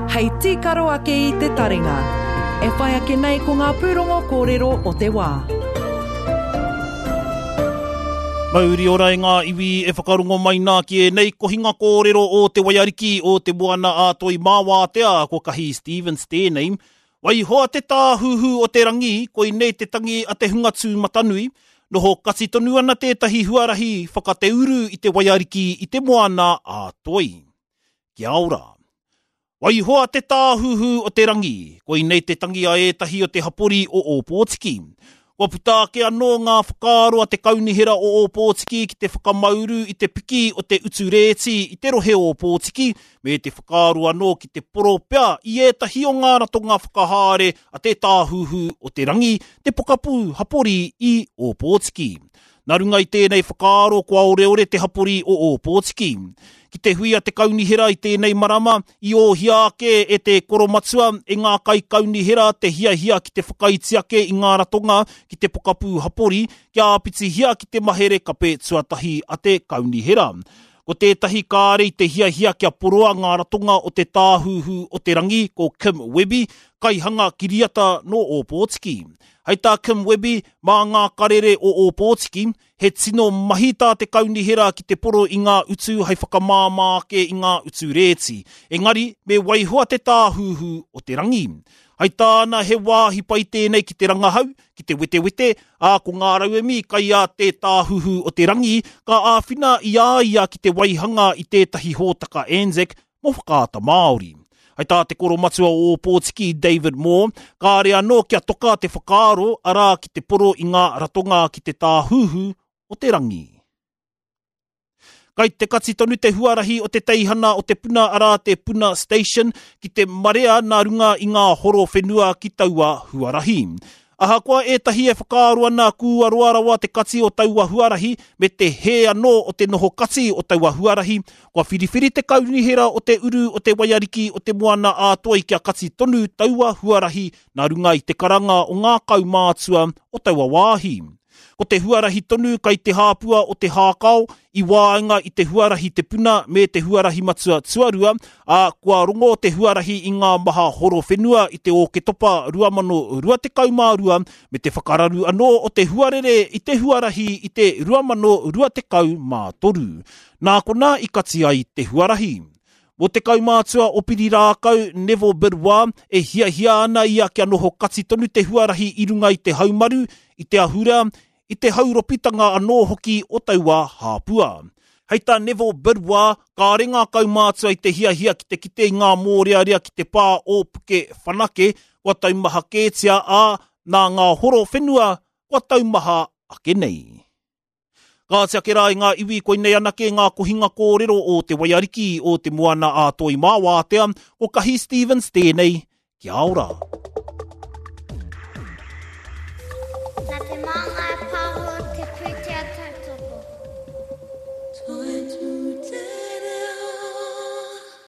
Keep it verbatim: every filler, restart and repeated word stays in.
Hei tīkaro ake i te taringa. E whai ake nei ko ngā pūrongo kōrero o te wā. Mauri ora e ngā iwi e whakarongo mai nā ki ēnei kohinga kōrero o te Waiariki o te Moana a Toi Māwātea, ko Kahi Stevens tēnei. Waihoa te tāhuhu o te rangi, koinei te tangi a te hunga tūmatanui, noho kati tonu ana tētahi huarahi whakateuru i te Waiariki i te Moana a Toi. Kia ora. Waihoa te tāhuhu o te rangi, koinei te tangi a ētahi o te hapori o Ōpōtiki. Kua puta ake anō ngā whakaaro a te kaunihera o Ōpōtiki ki te whakamauru i te piki o te utu rēti i te rohe o Ōpōtiki, me te whakaaro anō ki te poro pea i ētahi o ngā ratonga whakahaere a te tāhuhu o te rangi, te pokapū hapori i Ōpōtiki. Nā runga i tēnei whakaaro kua oreore te hapori o Ōpōtiki. Ki te hui a te kaunihera i tēnei marama, i ōhia ake e te koromatua e ngā kaikaunihera te hiahia ki te whakaiti ake i ngā ratonga ki te pokapū hapori, kia āpitihia ki te mahere kape tuatahi a te kaunihera. Ko tētahi kāre i te hiahia kia poroa ngā ratonga o te tāhuhu o te rangi, ko Kim Webby, kaihanga kiriata nō Ōpōtiki. Hei tā Kim Webby, mā ngā karere o Ōpōtiki, he tino mahi tā te kaunihera ki te poro i ngā utu hei whakamāmā ake i ngā utu rēti. Engari, me waihoa te tāhuhu o te rangi. Hei tāna he wāhi pai tēnei ki te rangahau, ki te wetewete, ā ko ngā rauemi kai a te tāhuhu o te rangi, ka āwhina i a ia ki te waihanga i tētahi hōtaka ANZAC mō Whakaata Māori. Hei tā te koromatua o Ōpōtiki David Moore, kāre anō kia toka te whakaaro arā ki te poro i ngā ratonga ki te tāhuhu o te rangi. Kai te kati tonu te huarahi o te teihana o te puna arā te Puna Station ki te marea nā runga i ngā horo whenua ki taua huarahi. Ahakoa ētahi e whakaaro ana kua roa rawa te kati o taua huarahi me te hē anō o te noho kati o taua huarahi, kua whiriwhiri te kaunihera o te uru o te Waiariki o te Moana a Toi kia kati tonu taua huarahi nā runga i te karanga o ngā kaumātua o taua wāhi. Ko te huarahi tonu kai te hāpua o te hākao i waenga i te huarahi te puna me te huarahi matua tuarua, ā, kua rongo te huarahi i ngā maha horo whenua i te Ōketopa rua mano rua tekau mā rua me te whakararu anō o te huarere i te huarahi i te rua mano rua tekau mā toru. Nā konā i kati ai te huarahi. Mō te kaumātua o Pirirākau, Neville Bidois, e hiahia ana ia kia noho kati tonu te huarahi i runga i te haumaru, i te ahurea, i te hauropitanga anō hoki o taua hāpua. Hei tā Neville Bidois, kāre ngā kaumātua i te hiahia ki te kite i ngā mōrearea ki te pā o Puke Whanake, kua taumaha kētia ā, nā ngā horo whenua kua taumaha ake nei. Kāti ake rā i ngā iwi koinei anake ngā kohinga kōrero o te Waiariki o te Moana a Toi Māwātea, ko Kahi Stevens tēnei, kia ora.